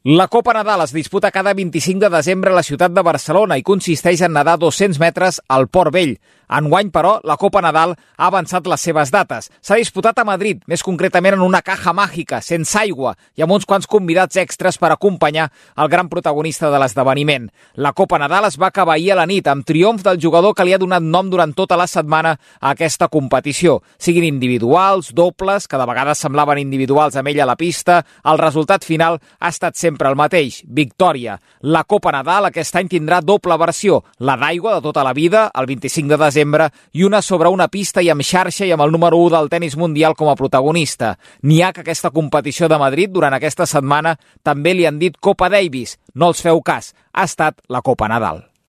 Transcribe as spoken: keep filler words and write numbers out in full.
La Copa Nadal es disputa cada vint-i-cinc de desembre a la ciutat de Barcelona i consisteix en nedar dos-cents metres al Port Vell. Enguany, però, la Copa Nadal ha avançat les seves dates. S'ha disputat a Madrid, més concretament en una caja màgica, sense aigua, i amb uns quants convidats extras per acompanyar el gran protagonista de l'esdeveniment. La Copa Nadal es va acabar ahir a la nit, amb triomf del jugador que li ha donat nom durant tota la setmana a aquesta competició. Siguin individuals, dobles, que de vegades semblaven individuals amb ell a la pista, el resultat final ha estat sempre el mateix, victòria. La Copa Nadal aquest any tindrà doble versió, la d'aigua de tota la vida, el vint-i-cinc de desembre, i una sobre una pista i amb xarxa i amb el número u del tenis mundial com a protagonista. N'hi ha que aquesta competició de Madrid durant aquesta setmana també li han dit Copa Davis. No els feu cas, ha estat la Copa Nadal.